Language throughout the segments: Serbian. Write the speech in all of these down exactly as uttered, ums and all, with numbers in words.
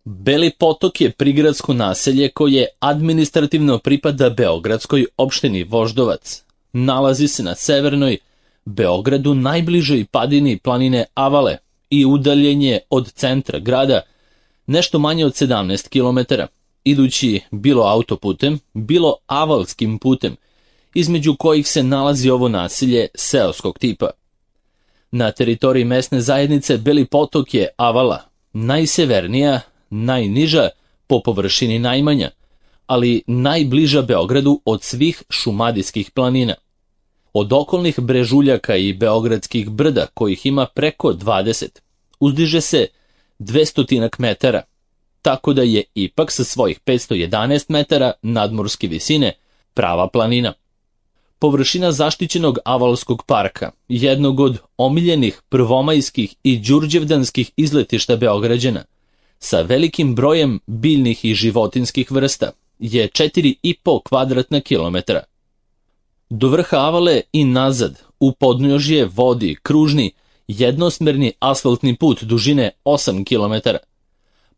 Beli Potok je prigradsko naselje koje administrativno pripada beogradskoj opštini Voždovac. Nalazi se na severnoj Beogradu, najbližoj padini planine Avale i udaljen je od centra grada nešto manje od sedamnaest kilometara, idući bilo autoputem, bilo avalskim putem, između kojih se nalazi ovo naselje seoskog tipa. Na teritoriji mesne zajednice Beli Potok je Avala, najsevernija, najniža, po površini najmanja, ali najbliža Beogradu od svih šumadijskih planina. Od okolnih brežuljaka i beogradskih brda, kojih ima preko dvadeset, uzdiže se dvesta metara, tako da je ipak sa svojih petsto jedanaest metara nadmorske visine prava planina. Površina zaštićenog Avalskog parka, jednog od omiljenih prvomajskih i đurđevdanskih izletišta Beograđana, sa velikim brojem biljnih i životinskih vrsta, je četiri i po kvadratna kilometra. Do vrha Avale i nazad, u podnožje vodi kružni, jednosmerni asfaltni put dužine osam kilometara.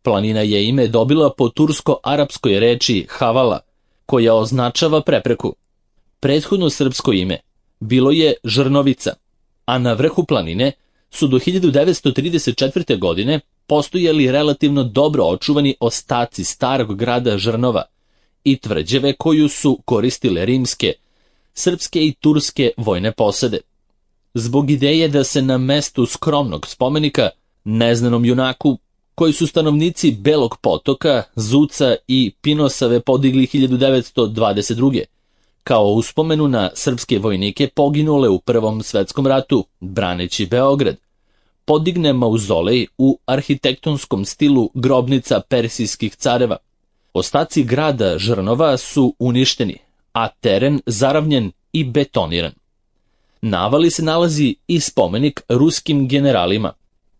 Planina je ime dobila po tursko-arapskoj reči Havala, koja označava prepreku. Prethodno srpsko ime bilo je Žrnovica, a na vrhu planine su do hiljadu devetsto trideset četvrte. godine postojali relativno dobro očuvani ostaci starog grada Žrnova i tvrđave koju su koristile rimske, srpske i turske vojne posade. Zbog ideje da se na mestu skromnog spomenika neznanom junaku, koji su stanovnici Belog Potoka, Zuca i Pinosave podigli hiljadu devetsto dvadeset druge. kao uspomenu na srpske vojnike poginule u Prvom svetskom ratu, braneći Beograd, podigne mauzolej u arhitektonskom stilu grobnica persijskih careva. Ostaci grada Žrnova su uništeni, a teren zaravnjen i betoniran. Na Avali se nalazi i spomenik ruskim generalima,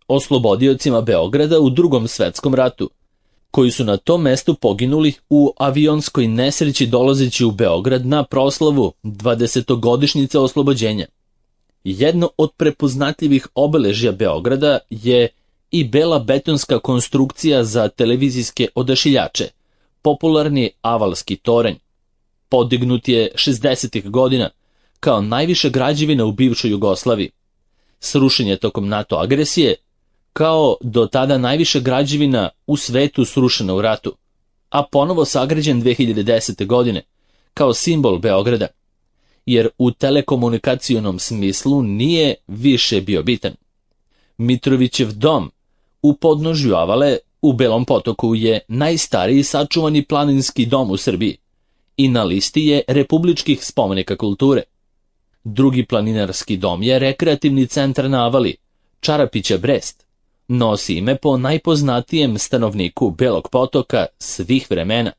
oslobodiocima Beograda u Drugom svetskom ratu, koji su na tom mestu poginuli u avionskoj nesreći dolazeći u Beograd na proslavu dvadesetogodišnjice oslobođenja. Jedno od prepoznatljivih obeležja Beograda je i bela betonska konstrukcija za televizijske odašiljače, popularni Avalski toranj. Podignut je šezdesetih godina kao najviša građevina u bivšoj Jugoslaviji. Srušen je tokom NATO agresije, kao do tada najviša građevina u svetu srušena u ratu, a ponovo sagrađen dve hiljade desete. godine, kao simbol Beograda, jer u telekomunikacionom smislu nije više bio bitan. Mitrovićev dom u podnožju Avale u Belom Potoku je najstariji sačuvani planinski dom u Srbiji i na listi je republičkih spomenika kulture. Drugi planinarski dom je rekreativni centar na Avali, Čarapića Brest. Nosi ime po najpoznatijem stanovniku Belog Potoka svih vremena,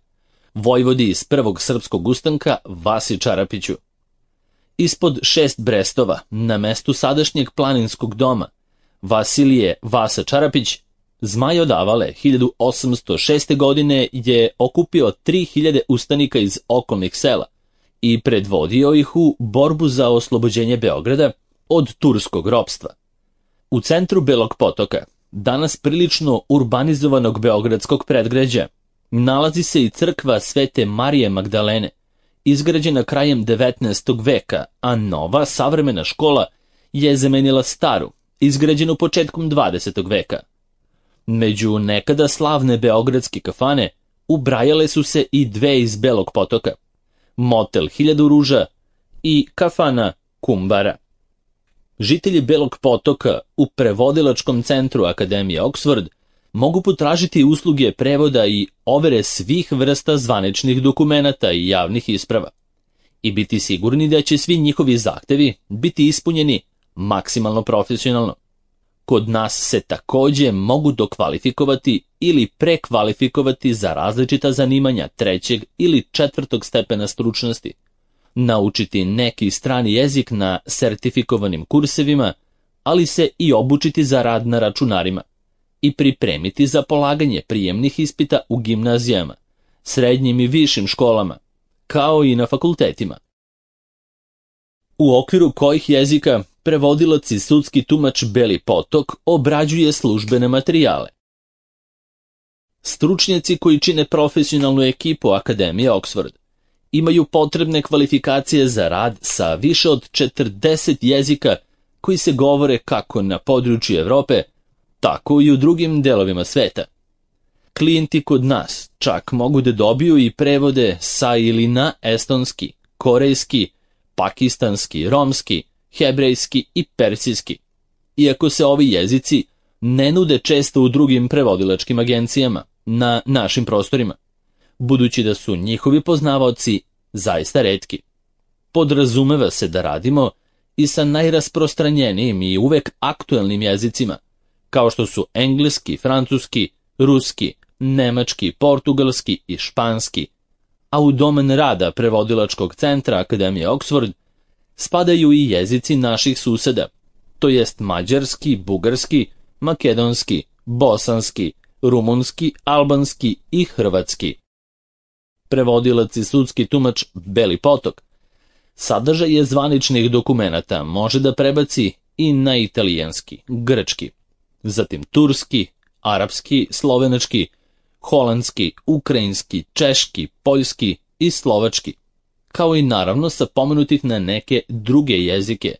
vojvodi iz Prvog srpskog ustanka Vasi Čarapiću. Ispod šest Brestova, na mestu sadašnjeg planinskog doma, Vasilije Vasa Čarapić, Zmaj od Avale hiljadu osamsto šeste. godine je okupio tri hiljade ustanika iz okolnih sela i predvodio ih u borbu za oslobođenje Beograda od turskog ropstva. U centru Belog Potoka, danas prilično urbanizovanog beogradskog predgrađa, nalazi se i crkva Svete Marije Magdalene, izgrađena krajem devetnaestog. veka, a nova savremena škola je zamenila staru, izgrađenu početkom dvadesetog. veka. Među nekada slavne beogradske kafane ubrajale su se i dve iz Belog Potoka, motel Hiljadu ruža i kafana Kumbara. Žitelji Belog Potoka u prevodilačkom centru Akademije Oxford mogu potražiti usluge prevoda i overe svih vrsta zvaničnih dokumenata i javnih isprava i biti sigurni da će svi njihovi zahtevi biti ispunjeni maksimalno profesionalno. Kod nas se takođe mogu dokvalifikovati ili prekvalifikovati za različita zanimanja trećeg ili četvrtog stepena stručnosti, naučiti neki strani jezik na sertifikovanim kursevima, ali se i obučiti za rad na računarima i pripremiti za polaganje prijemnih ispita u gimnazijama, srednjim i višim školama, kao i na fakultetima. U okviru kojih jezika prevodilac i sudski tumač Beli Potok obrađuje službene materijale. Stručnjaci koji čine profesionalnu ekipu Akademije Oxford imaju potrebne kvalifikacije za rad sa više od četrdeset jezika koji se govore kako na području Evrope, tako i u drugim delovima sveta. Klijenti kod nas čak mogu da dobiju i prevode sa ili na estonski, korejski, pakistanski, romski, hebrejski i persijski, iako se ovi jezici ne nude često u drugim prevodilačkim agencijama na našim prostorima, budući da su njihovi poznavaoci zaista retki. Podrazumeva se da radimo i sa najrasprostranjenijim i uvek aktuelnim jezicima, kao što su engleski, francuski, ruski, nemački, portugalski i španski, a u domen rada prevodilačkog centra Akademije Oxford spadaju i jezici naših suseda, to jest mađarski, bugarski, makedonski, bosanski, rumunski, albanski i hrvatski. Prevodilac i sudski tumač Beli Potok sadržaje zvaničnih dokumenata može da prebaci i na italijanski, grčki, zatim turski, arapski, slovenački, holandski, ukrajinski, češki, poljski i slovački, kao i naravno sa pomenutih na neke druge jezike,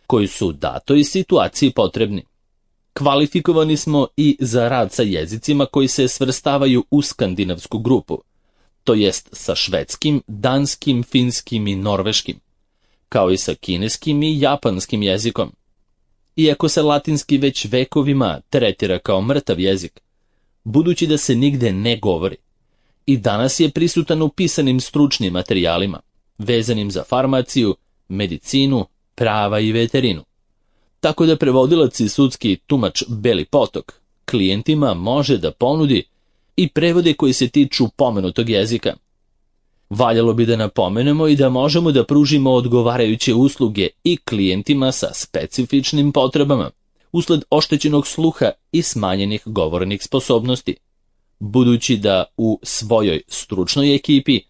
koji su u datoj situaciji potrebni. Kvalifikovani smo i za rad sa jezicima koji se svrstavaju u skandinavsku grupu, to jest sa švedskim, danskim, finskim i norveškim, kao i sa kineskim i japanskim jezikom. Iako se latinski već vekovima tretira kao mrtav jezik, budući da se nigde ne govori, i danas je prisutan u pisanim stručnim materijalima, vezanim za farmaciju, medicinu, prava i veterinu. Tako da prevodilac i sudski tumač Beli Potok klijentima može da ponudi i prevode koji se tiču pomenutog jezika. Valjalo bi da napomenemo i da možemo da pružimo odgovarajuće usluge i klijentima sa specifičnim potrebama, usled oštećenog sluha i smanjenih govornih sposobnosti, budući da u svojoj stručnoj ekipi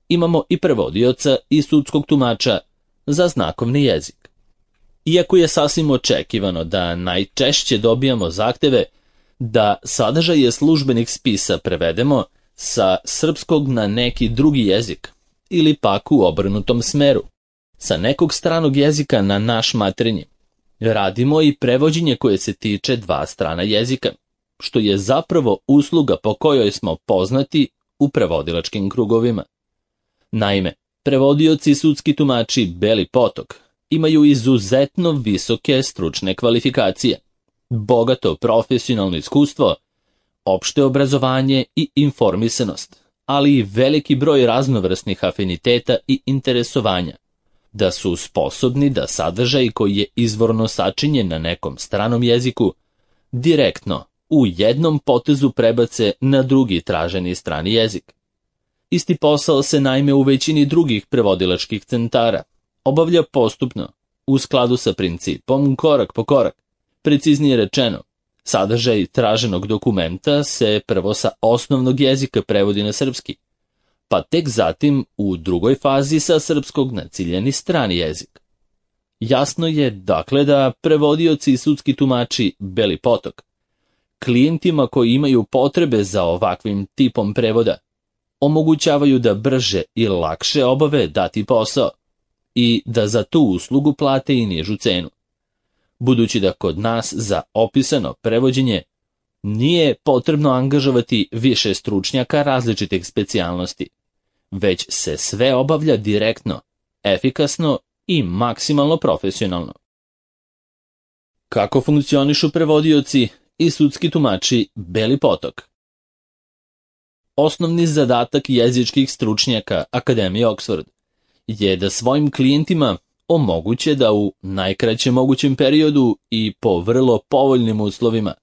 imamo i prevodioca i sudskog tumača za znakovni jezik. Iako je sasvim očekivano da najčešće dobijamo zahteve da sadržaje službenih spisa prevedemo sa srpskog na neki drugi jezik ili pak u obrnutom smeru, sa nekog stranog jezika na naš materinji, radimo i prevođenje koje se tiče dva strana jezika, što je zapravo usluga po kojoj smo poznati u prevodilačkim krugovima. Naime, prevodioci i sudski tumači Beli Potok imaju izuzetno visoke stručne kvalifikacije, bogato profesionalno iskustvo, opšte obrazovanje i informisanost, ali i veliki broj raznovrsnih afiniteta i interesovanja, da su sposobni da sadržaj koji je izvorno sačinjen na nekom stranom jeziku direktno u jednom potezu prebace na drugi traženi strani jezik. Isti posao se naime u većini drugih prevodilačkih centara obavlja postupno, u skladu sa principom korak po korak. Preciznije rečeno, sadržaj traženog dokumenta se prvo sa osnovnog jezika prevodi na srpski, pa tek zatim u drugoj fazi sa srpskog na ciljani strani jezik. Jasno je dakle da prevodioci i sudski tumači Beli Potok klijentima koji imaju potrebe za ovakvim tipom prevoda omogućavaju da brže i lakše obave dati posao i da za tu uslugu plate i nižu cenu, budući da kod nas za opisano prevođenje nije potrebno angažovati više stručnjaka različitih specijalnosti, već se sve obavlja direktno, efikasno i maksimalno profesionalno. Kako funkcionišu prevodioci i sudski tumači Beli Potok? Osnovni zadatak jezičkih stručnjaka Akademije Oxford je da svojim klijentima omoguće da u najkraćem mogućem periodu i po vrlo povoljnim uslovima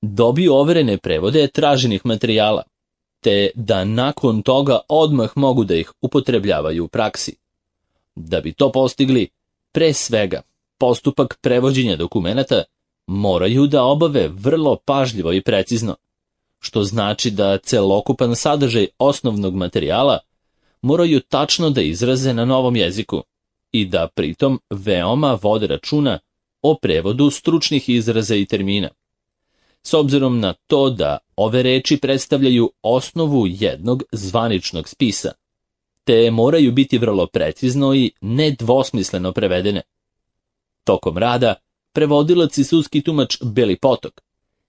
dobiju overene prevode traženih materijala, te da nakon toga odmah mogu da ih upotrebljavaju u praksi. Da bi to postigli, pre svega, postupak prevođenja dokumenata moraju da obave vrlo pažljivo i precizno, što znači da celokupan sadržaj osnovnog materijala moraju tačno da izraze na novom jeziku i da pritom veoma vode računa o prevodu stručnih izraza i termina. s obzirom na to da ove reči predstavljaju osnovu jednog zvaničnog spisa, te moraju biti vrlo precizno i nedvosmisleno prevedene. Tokom rada, prevodilac i sudski tumač Beli Potok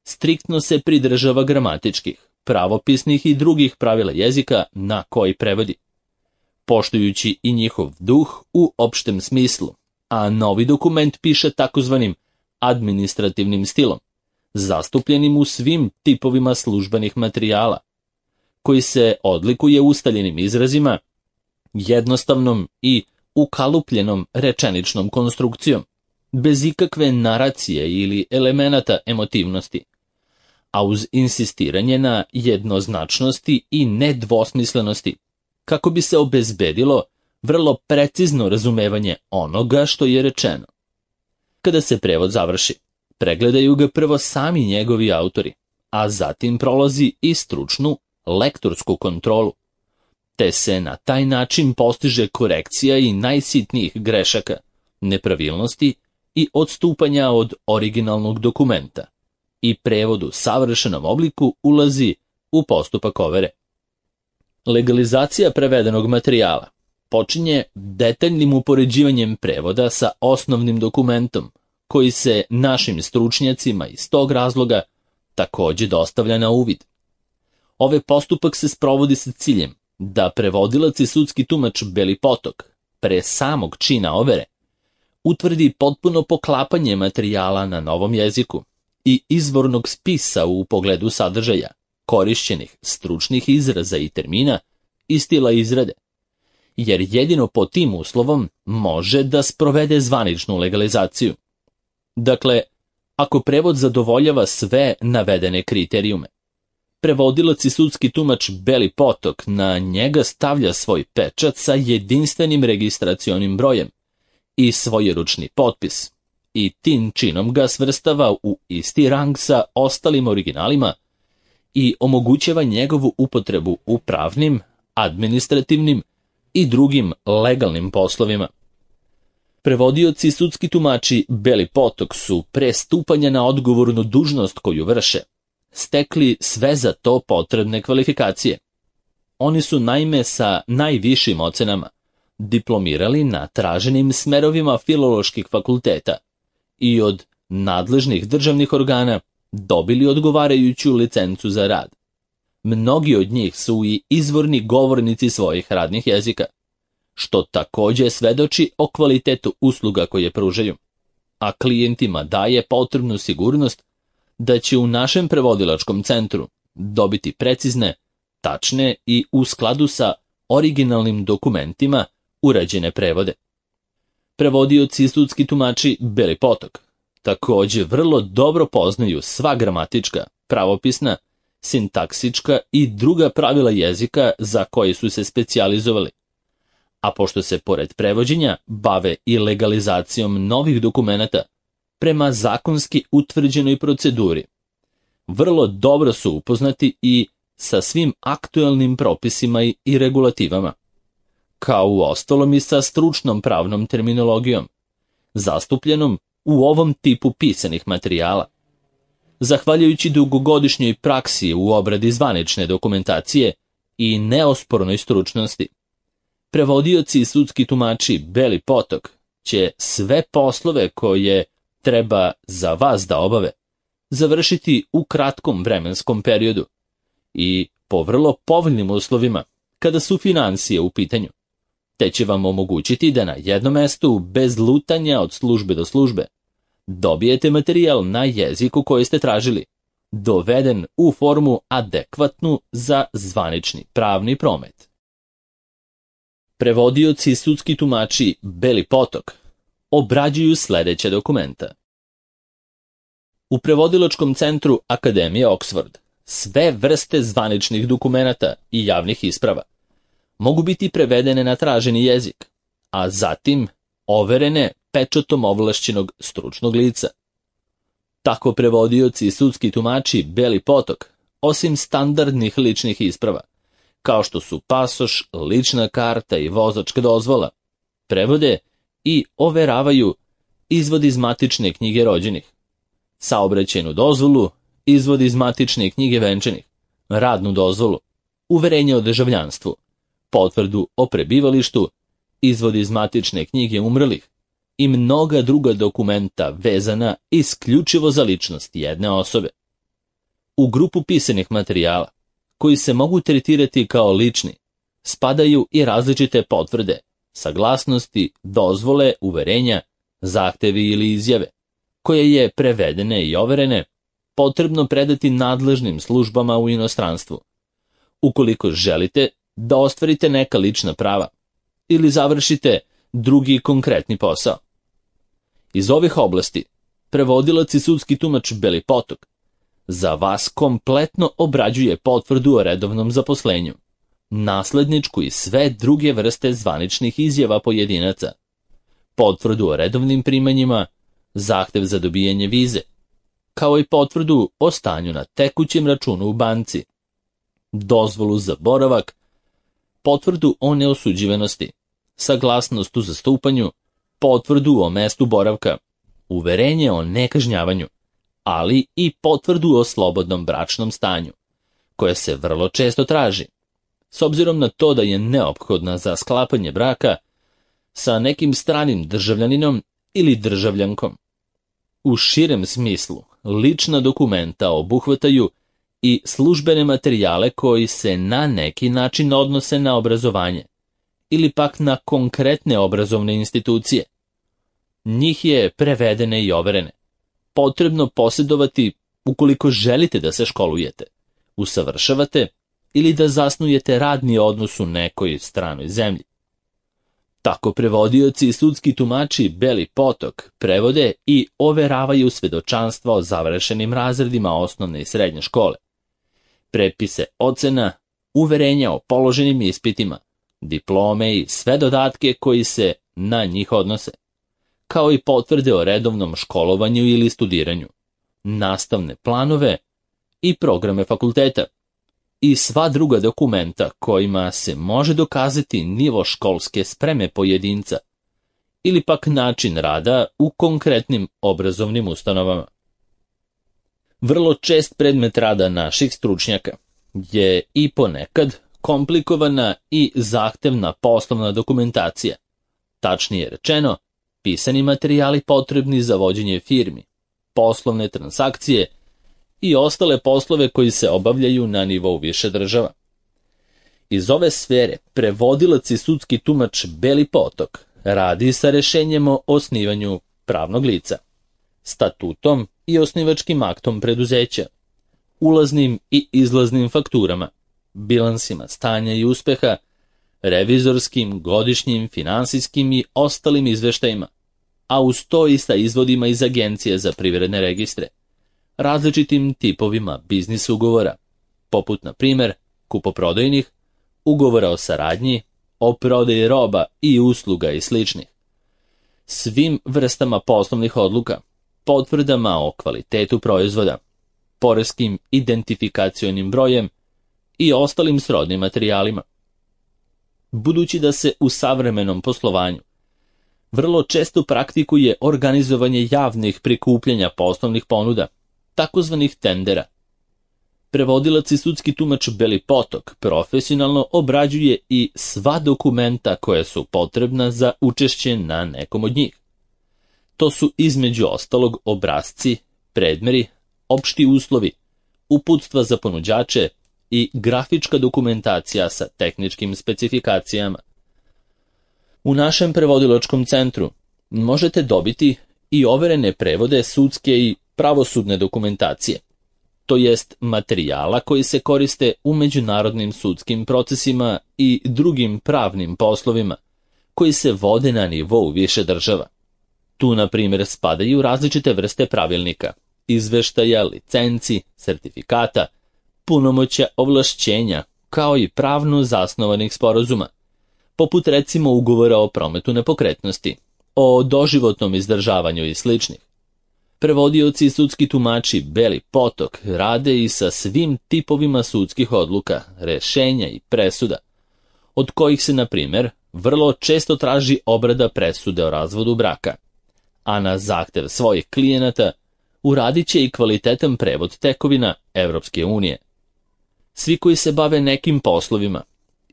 striktno se pridržava gramatičkih, pravopisnih i drugih pravila jezika na koji prevodi, poštujući i njihov duh u opštem smislu, a novi dokument piše takozvanim administrativnim stilom, zastupljenim u svim tipovima službenih materijala, koji se odlikuje ustaljenim izrazima, jednostavnom i ukalupljenom rečeničnom konstrukcijom, bez ikakve naracije ili elemenata emotivnosti, a uz insistiranje na jednoznačnosti i nedvosmislenosti, kako bi se obezbedilo vrlo precizno razumevanje onoga što je rečeno. Kada se prevod završi, pregledaju ga prvo sami njegovi autori, a zatim prolazi i stručnu lektorsku kontrolu, te se na taj način postiže korekcija i najsitnijih grešaka, nepravilnosti i odstupanja od originalnog dokumenta, i prevod u savršenom obliku ulazi u postupak overe. Legalizacija prevedenog materijala počinje detaljnim upoređivanjem prevoda sa osnovnim dokumentom, koji se našim stručnjacima iz tog razloga takođe dostavlja na uvid. Ovaj postupak se sprovodi sa ciljem da prevodilac i sudski tumač Beli Potok, pre samog čina overe, utvrdi potpuno poklapanje materijala na novom jeziku i izvornog spisa u pogledu sadržaja, korišćenih stručnih izraza i termina i stila izrade, jer jedino pod tim uslovom može da sprovede zvaničnu legalizaciju. Dakle, ako prevod zadovoljava sve navedene kriterijume, prevodilac i sudski tumač Beli Potok na njega stavlja svoj pečat sa jedinstvenim registracionim brojem i svojeručni potpis i tim činom ga svrstava u isti rang sa ostalim originalima i omogućava njegovu upotrebu u pravnim, administrativnim i drugim legalnim poslovima. Prevodioci i sudski tumači Beli Potok su pre stupanja na odgovornu dužnost koju vrše stekli sve za to potrebne kvalifikacije. Oni su naime sa najvišim ocenama diplomirali na traženim smerovima filoloških fakulteta i od nadležnih državnih organa dobili odgovarajuću licencu za rad. Mnogi od njih su i izvorni govornici svojih radnih jezika, što takođe svedoči o kvalitetu usluga koje pružaju, a klijentima daje potrebnu sigurnost da će u našem prevodilačkom centru dobiti precizne, tačne i u skladu sa originalnim dokumentima urađene prevode. Prevodioci i sudski tumači Beli Potok takođe vrlo dobro poznaju sva gramatička, pravopisna, sintaksička i druga pravila jezika za koje su se specijalizovali, a pošto se pored prevođenja bave i legalizacijom novih dokumenata prema zakonski utvrđenoj proceduri, vrlo dobro su upoznati i sa svim aktuelnim propisima i regulativama, kao u ostalom i sa stručnom pravnom terminologijom, zastupljenom u ovom tipu pisanih materijala. Zahvaljujući dugogodišnjoj praksi u obradi zvanične dokumentacije i neospornoj stručnosti, prevodioci i sudski tumači Beli Potok će sve poslove koje treba za vas da obave završiti u kratkom vremenskom periodu i po vrlo povoljnim uslovima kada su finansije u pitanju, te će vam omogućiti da na jednom mestu, bez lutanja od službe do službe, dobijete materijal na jeziku koji ste tražili, doveden u formu adekvatnu za zvanični pravni promet. Prevodioci i sudski tumači Beli Potok obrađuju sledeća dokumenta. U prevodilačkom centru Akademije Oxford sve vrste zvaničnih dokumenata i javnih isprava mogu biti prevedene na traženi jezik, a zatim overene pečatom ovlašćenog stručnog lica. Tako prevodioci i sudski tumači Beli Potok, osim standardnih ličnih isprava, kao što su pasoš, lična karta i vozačka dozvola, prevode i overavaju izvod iz matične knjige rođenih, saobraćajnu dozvolu izvod iz matične knjige venčanih, radnu dozvolu, uverenje o državljanstvu, potvrdu o prebivalištu, izvod iz matične knjige umrlih i mnoga druga dokumenta vezana isključivo za ličnost jedne osobe. U grupu pisanih materijala, koji se mogu tretirati kao lični, spadaju i različite potvrde, saglasnosti, dozvole, uverenja, zahtevi ili izjave, koje je prevedene i overene potrebno predati nadležnim službama u inostranstvu, ukoliko želite da ostvarite neka lična prava ili završite drugi konkretni posao. Iz ovih oblasti prevodilac i sudski tumač Beli Potok za vas kompletno obrađuje potvrdu o redovnom zaposlenju, nasledničku i sve druge vrste zvaničnih izjava pojedinaca, potvrdu o redovnim primanjima, zahtev za dobijanje vize, kao i potvrdu o stanju na tekućem računu u banci, dozvolu za boravak, potvrdu o neosuđivanosti, saglasnost u zastupanju, potvrdu o mestu boravka, uverenje o nekažnjavanju, ali i potvrdu o slobodnom bračnom stanju, koja se vrlo često traži, s obzirom na to da je neophodna za sklapanje braka sa nekim stranim državljaninom ili državljankom. U širem smislu, lična dokumenta obuhvataju i službene materijale koji se na neki način odnose na obrazovanje ili pak na konkretne obrazovne institucije. Njih je prevedene i overene potrebno posjedovati ukoliko želite da se školujete, usavršavate ili da zasnujete radni odnos u nekoj stranoj zemlji. Tako prevodioci i sudski tumači Beli Potok prevode i overavaju svedočanstva o završenim razredima osnovne i srednje škole, prepise ocena, uverenja o položenim ispitima, diplome i sve dodatke koji se na njih odnose, kao i potvrde o redovnom školovanju ili studiranju, nastavne planove i programe fakulteta i sva druga dokumenta kojima se može dokazati nivo školske spreme pojedinca ili pak način rada u konkretnim obrazovnim ustanovama. Vrlo čest predmet rada naših stručnjaka je i ponekad komplikovana i zahtevna poslovna dokumentacija, tačnije rečeno, pisani materijali potrebni za vođenje firmi, poslovne transakcije i ostale poslove koji se obavljaju na nivou više država. Iz ove sfere prevodilac i sudski tumač Beli Potok radi sa rešenjem o osnivanju pravnog lica, statutom i osnivačkim aktom preduzeća, ulaznim i izlaznim fakturama, bilansima stanja i uspeha, revizorskim, godišnjim, finansijskim i ostalim izveštajima, a uz to i sa izvodima iz Agencije za privredne registre, različitim tipovima biznis ugovora, poput na primjer kupoprodajnih, ugovora o saradnji, o prodaji roba i usluga i sličnih, svim vrstama poslovnih odluka, potvrdama o kvalitetu proizvoda, poreskim identifikacionim brojem i ostalim srodnim materijalima. Budući da se u savremenom poslovanju vrlo često praktikuje organizovanje javnih prikupljanja poslovnih ponuda, takozvanih tendera, prevodilac i sudski tumač Beli Potok profesionalno obrađuje i sva dokumenta koja su potrebna za učešće na nekom od njih. To su između ostalog obrasci, predmeri, opšti uslovi, uputstva za ponuđače i grafička dokumentacija sa tehničkim specifikacijama. U našem prevodilačkom centru možete dobiti i overene prevode sudske i pravosudne dokumentacije, to jest materijala koji se koriste u međunarodnim sudskim procesima i drugim pravnim poslovima koji se vode na nivou više država. Tu, na primjer, spadaju različite vrste pravilnika, izveštaja, licenci, sertifikata, punomoćja, ovlašćenja, kao i pravno zasnovanih sporazuma, poput recimo ugovora o prometu nepokretnosti, o doživotnom izdržavanju i sličnih. Prevodioci i sudski tumači Beli Potok rade i sa svim tipovima sudskih odluka, rešenja i presuda, od kojih se, na primjer, vrlo često traži obrada presude o razvodu braka, a na zahtev svojih klijenata uradit će i kvalitetan prevod tekovina Evropske unije. Svi koji se bave nekim poslovima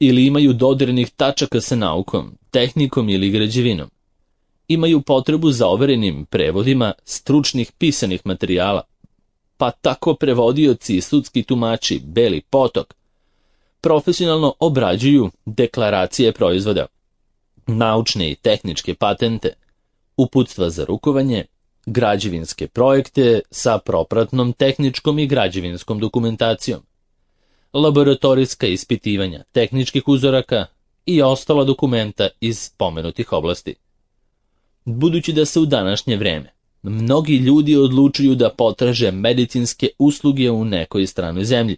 ili imaju dodirnih tačaka sa naukom, tehnikom ili građevinom, imaju potrebu za overenim prevodima stručnih pisanih materijala, pa tako prevodioci i sudski tumači Beli potok profesionalno obrađuju deklaracije proizvoda, naučne i tehničke patente, uputstva za rukovanje, građevinske projekte sa propratnom tehničkom i građevinskom dokumentacijom, laboratorijska ispitivanja tehničkih uzoraka i ostala dokumenta iz pomenutih oblasti. Budući da se u današnje vreme mnogi ljudi odlučuju da potraže medicinske usluge u nekoj stranoj zemlji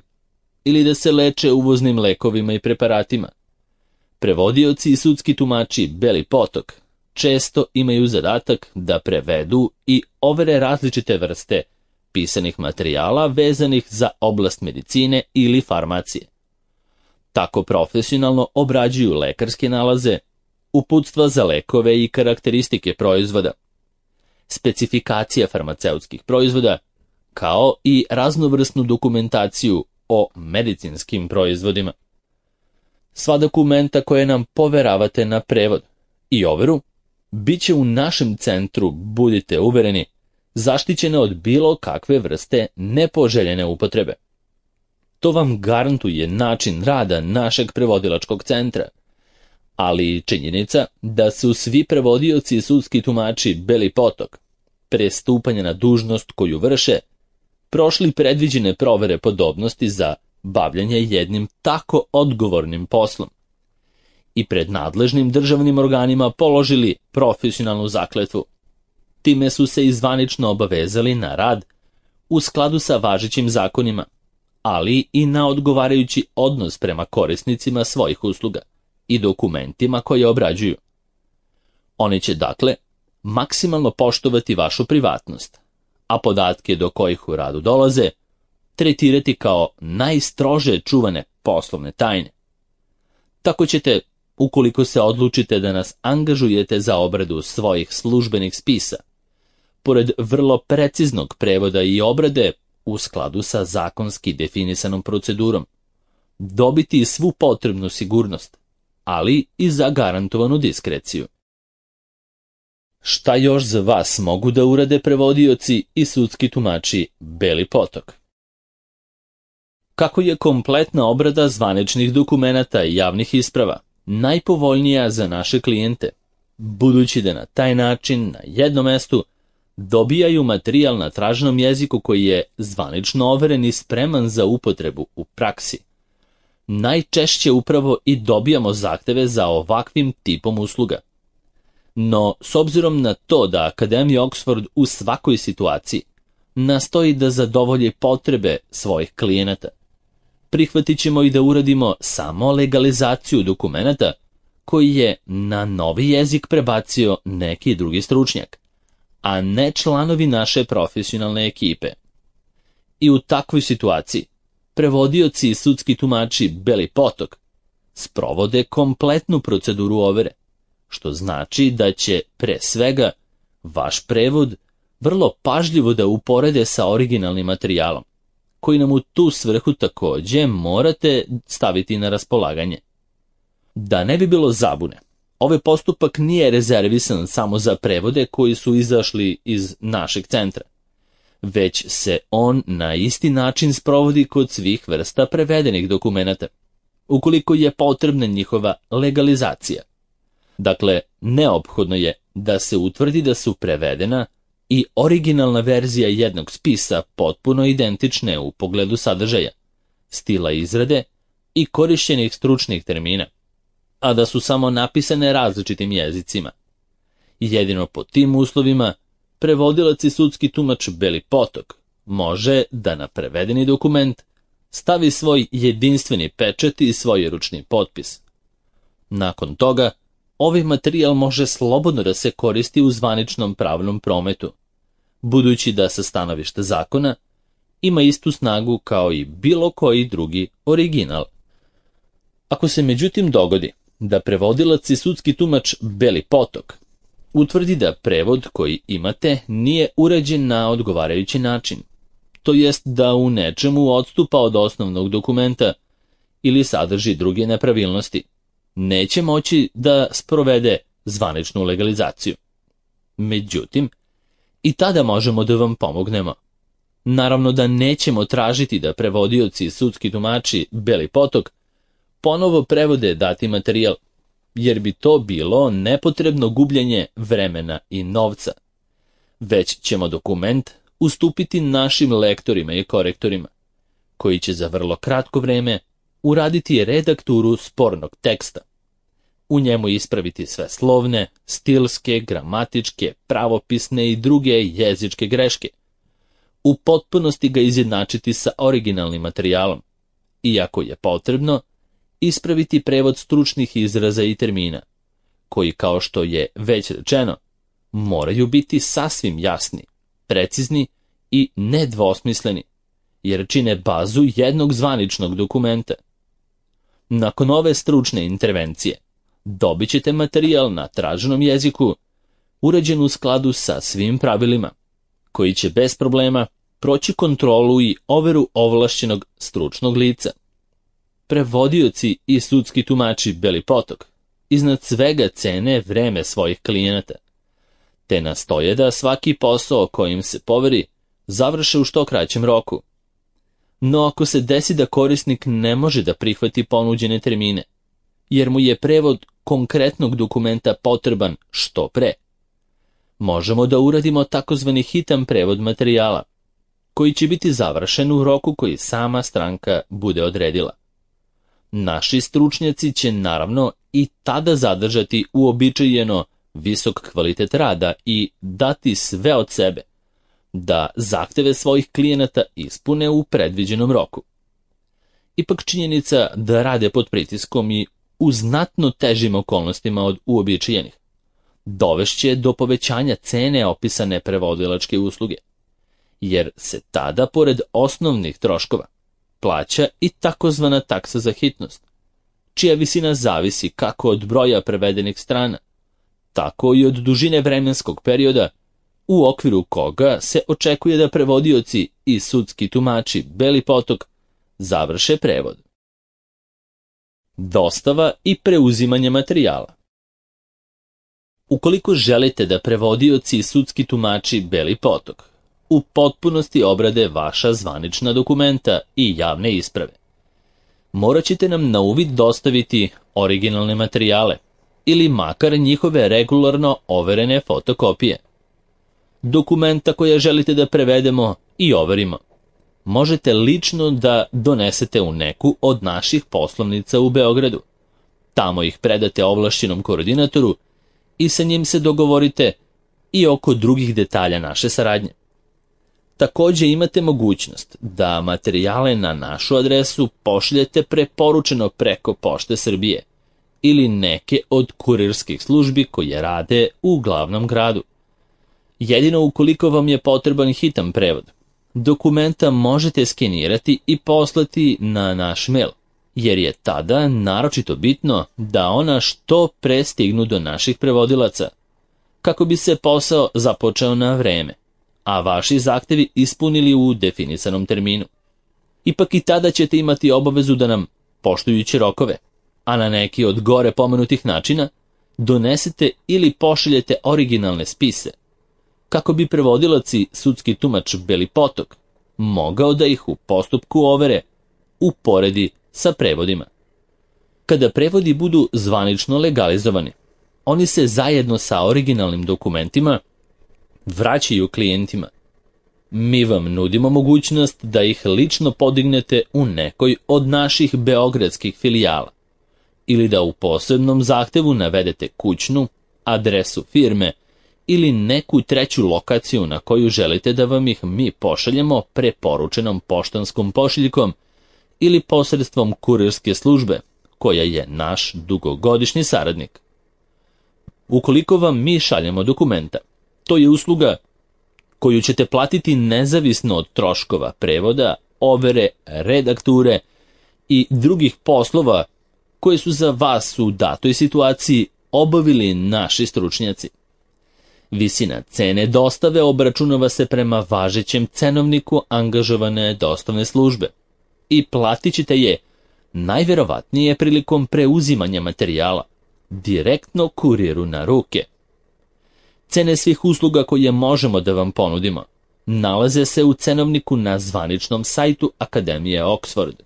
ili da se leče uvoznim lekovima i preparatima, prevodioci i sudski tumači Beli potok često imaju zadatak da prevedu i overe različite vrste pisanih materijala vezanih za oblast medicine ili farmacije. Tako profesionalno obrađuju lekarske nalaze, uputstva za lekove i karakteristike proizvoda, specifikacija farmaceutskih proizvoda, kao i raznovrsnu dokumentaciju o medicinskim proizvodima. Sva dokumenta koje nam poveravate na prevod i overu bit će u našem centru, budite uvereni, zaštićene od bilo kakve vrste nepoželjene upotrebe. To vam garantuje način rada našeg prevodilačkog centra, ali činjenica da su svi prevodioci i sudski tumači Beli potok pre stupanja na dužnost koju vrše prošli predviđene provere podobnosti za bavljanje jednim tako odgovornim poslom i pred nadležnim državnim organima položili profesionalnu zakletvu. Time su se izvanično obavezali na rad u skladu sa važećim zakonima, ali i na odgovarajući odnos prema korisnicima svojih usluga i dokumentima koje obrađuju. Oni će, dakle, maksimalno poštovati vašu privatnost, a podatke do kojih u radu dolaze tretirati kao najstrože čuvane poslovne tajne. Tako ćete, ukoliko se odlučite da nas angažujete za obradu svojih službenih spisa, pored vrlo preciznog prevoda i obrade u skladu sa zakonski definisanom procedurom, dobiti svu potrebnu sigurnost, ali i zagarantovanu diskreciju. Šta još za vas mogu da urade prevodioci i sudski tumači Beli potok? Kako je kompletna obrada zvaničnih dokumenata i javnih isprava najpovoljnija za naše klijente, budući da na taj način na jednom mestu dobijaju materijal na traženom jeziku koji je zvanično overen i spreman za upotrebu u praksi. Najčešće upravo i dobijamo zahteve za ovakvim tipom usluga. No, s obzirom na to da Akademija Oxford u svakoj situaciji nastoji da zadovolji potrebe svojih klijenata, prihvatit ćemo i da uradimo samo legalizaciju dokumenata koji je na novi jezik prebacio neki drugi stručnjak, a ne članovi naše profesionalne ekipe. I u takvoj situaciji prevodioci i sudski tumači Beli potok sprovode kompletnu proceduru overe, što znači da će, pre svega, vaš prevod vrlo pažljivo da uporede sa originalnim materijalom, koji nam u tu svrhu takođe morate staviti na raspolaganje. Da ne bi bilo zabune, ovaj postupak nije rezervisan samo za prevode koji su izašli iz našeg centra, već se on na isti način sprovodi kod svih vrsta prevedenih dokumenata, ukoliko je potrebna njihova legalizacija. Dakle, neophodno je da se utvrdi da su prevedena i originalna verzija jednog spisa potpuno identične u pogledu sadržaja, stila izrade i korišćenih stručnih termina, a da su samo napisane različitim jezicima. Jedino pod tim uslovima prevodilac i sudski tumač Beli potok može da na prevedeni dokument stavi svoj jedinstveni pečat i svoj ručni potpis. Nakon toga, ovaj materijal može slobodno da se koristi u zvaničnom pravnom prometu, budući da sa stanovišta zakona ima istu snagu kao i bilo koji drugi original. Ako se međutim dogodi da prevodilac i sudski tumač Beli potok utvrdi da prevod koji imate nije urađen na odgovarajući način, to jest da u nečemu odstupa od osnovnog dokumenta ili sadrži druge nepravilnosti, neće moći da sprovede zvaničnu legalizaciju. Međutim, i tada možemo da vam pomognemo. Naravno da nećemo tražiti da prevodioci i sudski tumači Beli potok ponovo prevode dati materijal, jer bi to bilo nepotrebno gubljenje vremena i novca. Već ćemo dokument ustupiti našim lektorima i korektorima, koji će za vrlo kratko vreme uraditi redakturu spornog teksta. U njemu ispraviti sve slovne, stilske, gramatičke, pravopisne i druge jezičke greške. U potpunosti ga izjednačiti sa originalnim materijalom. Iako je potrebno, ispraviti prevod stručnih izraza i termina, koji, kao što je već rečeno, moraju biti sasvim jasni, precizni i nedvosmisleni, jer čine bazu jednog zvaničnog dokumenta. Nakon ove stručne intervencije, dobit ćete materijal na traženom jeziku, uređen u skladu sa svim pravilima, koji će bez problema proći kontrolu i overu ovlašćenog stručnog lica. Prevodioci i sudski tumači Beli potok iznad svega cene vreme svojih klijenata, te nastoje da svaki posao kojim se poveri završe u što kraćem roku. No ako se desi da korisnik ne može da prihvati ponuđene termine, jer mu je prevod konkretnog dokumenta potreban što pre, možemo da uradimo takozvani hitan prevod materijala, koji će biti završen u roku koji sama stranka bude odredila. Naši stručnjaci će naravno i tada zadržati uobičajeno visok kvalitet rada i dati sve od sebe, da zahteve svojih klijenata ispune u predviđenom roku. Ipak činjenica da rade pod pritiskom i u znatno težim okolnostima od uobičajenih dovešće do povećanja cene opisane prevodilačke usluge, jer se tada, pored osnovnih troškova, plaća i takozvana taksa za hitnost, čija visina zavisi kako od broja prevedenih strana, tako i od dužine vremenskog perioda u okviru koga se očekuje da prevodioci i sudski tumači Beli potok završe prevod. Dostava i preuzimanje materijala. Ukoliko želite da prevodioci i sudski tumači Beli potok u potpunosti obrade vaša zvanična dokumenta i javne isprave, morat ćete nam na uvid dostaviti originalne materijale ili makar njihove regularno overene fotokopije. Dokumenta koje želite da prevedemo i overimo možete lično da donesete u neku od naših poslovnica u Beogradu. Tamo ih predate ovlašćenom koordinatoru i sa njim se dogovorite i oko drugih detalja naše saradnje. Također imate mogućnost da materijale na našu adresu pošaljete preporučeno preko Pošte Srbije ili neke od kurirskih službi koje rade u glavnom gradu. Jedino ukoliko vam je potreban hitan prevod, dokumenta možete skenirati i poslati na naš mail, jer je tada naročito bitno da ona što pre stignu do naših prevodilaca, kako bi se posao započeo na vreme, a vaši zahtevi ispunili u definisanom terminu. Ipak i tada ćete imati obavezu da nam, poštujući rokove, a na neki od gore pomenutih načina, donesete ili pošaljete originalne spise, kako bi prevodilac i sudski tumač Beli potok mogao da ih u postupku overe uporedi sa prevodima. Kada prevodi budu zvanično legalizovani, oni se zajedno sa originalnim dokumentima vraćaju klijentima. Mi vam nudimo mogućnost da ih lično podignete u nekoj od naših beogradskih filijala ili da u posebnom zahtevu navedete kućnu, adresu firme ili neku treću lokaciju na koju želite da vam ih mi pošaljemo preporučenom poštanskom pošiljkom ili posredstvom kurirske službe, koja je naš dugogodišnji saradnik. Ukoliko vam mi šaljemo dokumenta, to je usluga koju ćete platiti nezavisno od troškova prevoda, overe, redakture i drugih poslova koje su za vas u datoj situaciji obavili naši stručnjaci. Visina cene dostave obračunava se prema važećem cenovniku angažovane dostavne službe i platit ćete je najverovatnije prilikom preuzimanja materijala, direktno kuriru na ruke. Cene svih usluga koje možemo da vam ponudimo nalaze se u cenovniku na zvaničnom sajtu Akademije Oxford,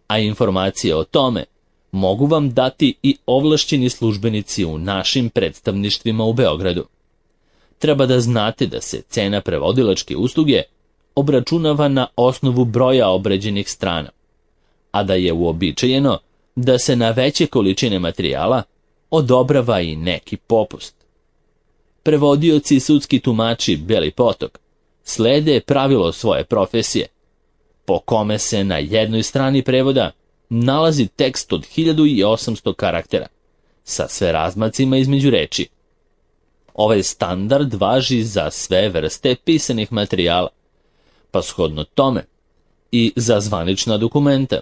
a informacije o tome mogu vam dati i ovlašćeni službenici u našim predstavništvima u Beogradu. Treba da znate da se cena prevodilačke usluge obračunava na osnovu broja obrađenih strana, a da je uobičajeno da se na veće količine materijala odobrava i neki popust. Prevodioci i sudski tumači Beli potok slede pravilo svoje profesije, po kome se na jednoj strani prevoda nalazi tekst od hiljadu osamsto karaktera, sa sve razmacima između reči. Ovaj standard važi za sve vrste pisanih materijala, pa shodno tome i za zvanična dokumenta,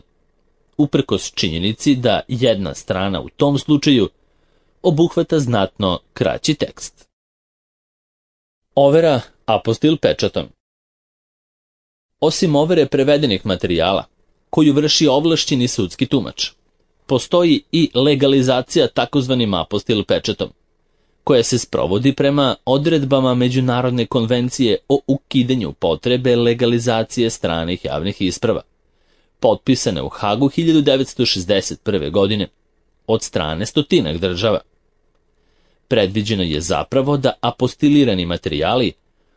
uprkos činjenici da jedna strana u tom slučaju obuhvata znatno kraći tekst. Overa apostil pečatom. Osim overe prevedenih materijala, koju vrši ovlašćeni sudski tumač, postoji i legalizacija takozvanim apostil pečatom, koja se sprovodi prema odredbama Međunarodne konvencije o ukidanju potrebe legalizacije stranih javnih isprava, potpisane u Hagu hiljadu devetsto šezdeset prve. godine od strane stotinak država. Predviđeno je zapravo da apostilirani materijali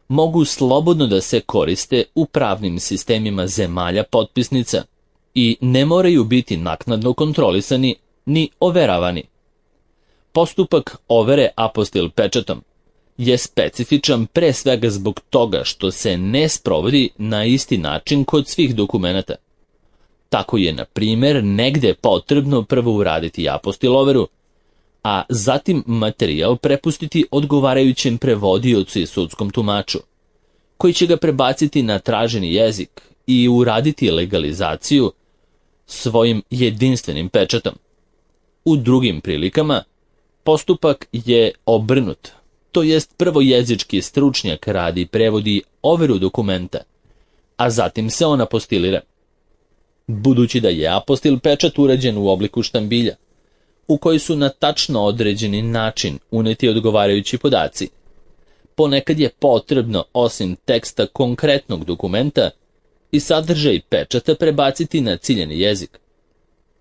mogu slobodno da se koriste u pravnim sistemima zemalja potpisnica i ne moraju biti naknadno kontrolisani ni overavani. Postupak overe apostil pečatom je specifičan pre svega zbog toga što se ne sprovodi na isti način kod svih dokumenata. Tako je, na primjer, negde potrebno prvo uraditi apostil overu, a zatim materijal prepustiti odgovarajućem prevodiocu i sudskom tumaču, koji će ga prebaciti na traženi jezik i uraditi legalizaciju svojim jedinstvenim pečatom. U drugim prilikama postupak je obrnut, to jest prvo jezički stručnjak radi prevodi overu dokumenta, a zatim se on apostilira. Budući da je apostil pečat urađen u obliku štambilja, u koji su na tačno određeni način uneti odgovarajući podaci, ponekad je potrebno, osim teksta konkretnog dokumenta, i sadržaj pečata prebaciti na ciljani jezik.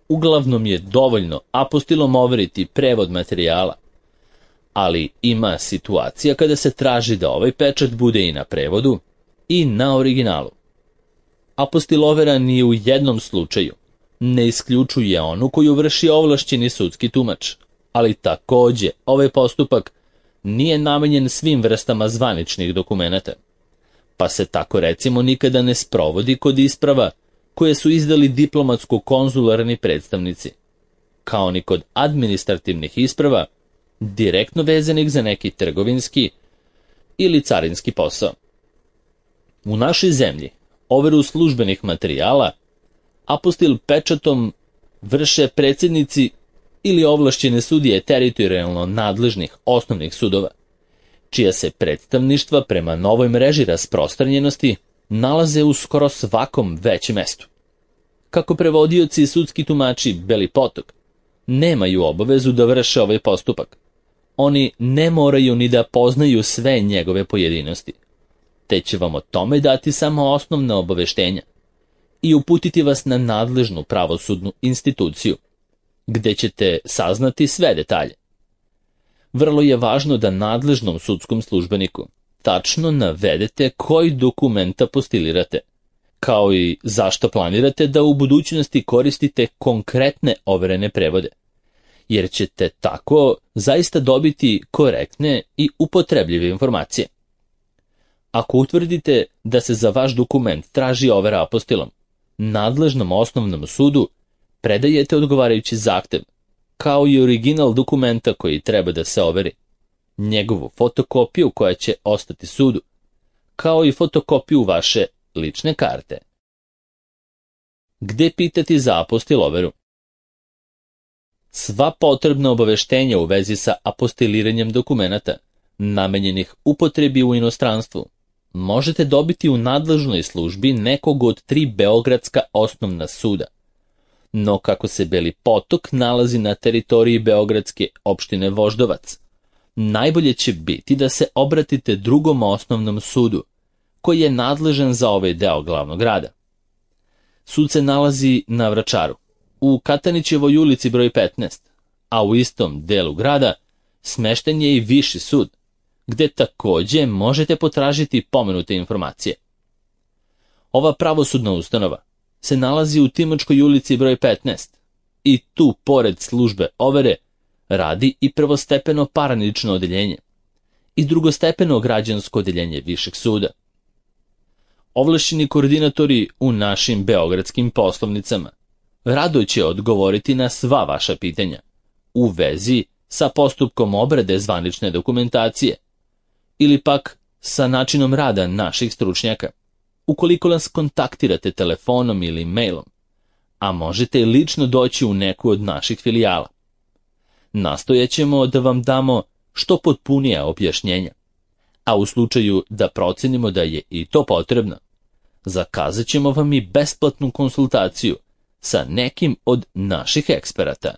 Uglavnom je dovoljno apostilom overiti prevod materijala, ali ima situacija kada se traži da ovaj pečat bude i na prevodu i na originalu. Apostil overa ni u jednom slučaju ne isključuje onu koju vrši ovlašćeni sudski tumač, ali takođe ovaj postupak nije namenjen svim vrstama zvaničnih dokumenata, pa se tako recimo nikada ne sprovodi kod isprava koje su izdali diplomatsko-konzularni predstavnici, kao ni kod administrativnih isprava direktno vezanih za neki trgovinski ili carinski posao. U našoj zemlji overu službenih materijala apostil pečatom vrše predsjednici ili ovlašćene sudije teritorijalno nadležnih osnovnih sudova, čija se predstavništva prema novoj mreži rasprostranjenosti nalaze u skoro svakom većem mestu. Kako prevodioci i sudski tumači Beli potok nemaju obavezu da vrše ovaj postupak, oni ne moraju ni da poznaju sve njegove pojedinosti, te će vam o tome dati samo osnovna obaveštenja i uputiti vas na nadležnu pravosudnu instituciju, gde ćete saznati sve detalje. Vrlo je važno da nadležnom sudskom službeniku tačno navedete koji dokument apostilirate, kao i zašto planirate da u budućnosti koristite konkretne overene prevode, jer ćete tako zaista dobiti korektne i upotrebljive informacije. Ako utvrdite da se za vaš dokument traži overa apostilom, nadležnom osnovnom sudu predajete odgovarajući zahtev, kao i original dokumenta koji treba da se overi, njegovu fotokopiju koja će ostati sudu, kao i fotokopiju vaše lične karte. Gde pitati za apostil overu? Sva potrebna obaveštenja u vezi sa apostiliranjem dokumenata namenjenih upotrebi u inostranstvu, možete dobiti u nadležnoj službi nekog od tri beogradska osnovna suda. No kako se Beli Potok nalazi na teritoriji beogradske opštine Voždovac, najbolje će biti da se obratite drugom osnovnom sudu, koji je nadležan za ovaj deo glavnog grada. Sud se nalazi na Vračaru, u Katanićevoj ulici broj petnaest, a u istom delu grada smešten je i Viši sud, gde takođe možete potražiti pomenute informacije. Ova pravosudna ustanova se nalazi u Timočkoj ulici broj petnaest i tu, pored službe overe, radi i prvostepeno parnično odeljenje i drugostepeno građansko odeljenje Višeg suda. Ovlašćeni koordinatori u našim beogradskim poslovnicama rado će odgovoriti na sva vaša pitanja u vezi sa postupkom obrade zvanične dokumentacije ili pak sa načinom rada naših stručnjaka, ukoliko nas kontaktirate telefonom ili mailom, a možete i lično doći u neku od naših filijala. Nastojaćemo da vam damo što potpunija objašnjenja, a u slučaju da procenimo da je i to potrebno, zakazat ćemo vam i besplatnu konsultaciju sa nekim od naših eksperata.